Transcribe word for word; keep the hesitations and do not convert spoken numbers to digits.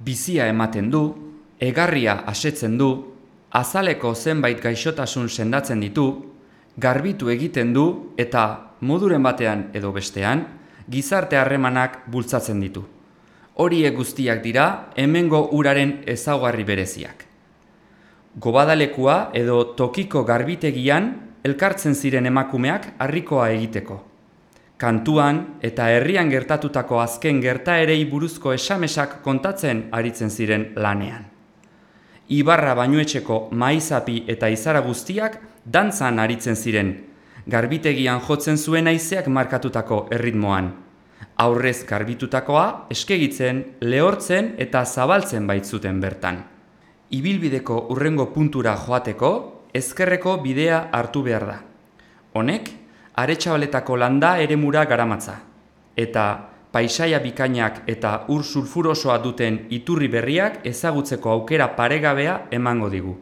bizia ematen du, egarria asetzen du, azaleko zenbait gaixotasun sendatzen ditu, garbitu egiten du eta moduren batean edo bestean, gizarte harremanak bultzatzen ditu. Horiek guztiak dira hemengo uraren ezaugarri bereziak. Gobadalekua edo tokiko garbitegian elkartzen ziren emakumeak harrikoa egiteko. Kantuan eta herrian gertatutako azken gertaerei buruzko esamesak kontatzen aritzen ziren lanean. Ibarra Bainuetxeko maizapi eta izara guztiak dantzan aritzen ziren, garbitegian jotzen zuen haizeak markatutako erritmoan. Aurrez garbitutakoa eskegitzen, lehortzen eta zabaltzen baitzuten bertan. Ibilbideko hurrengo puntura joateko, ezkerreko bidea hartu behar da. Honek, Aretxabaletako landa eremura garamatza, eta paisaia bikainak eta ur sulfurosoa duten iturri berriak ezagutzeko aukera paregabea emango digu.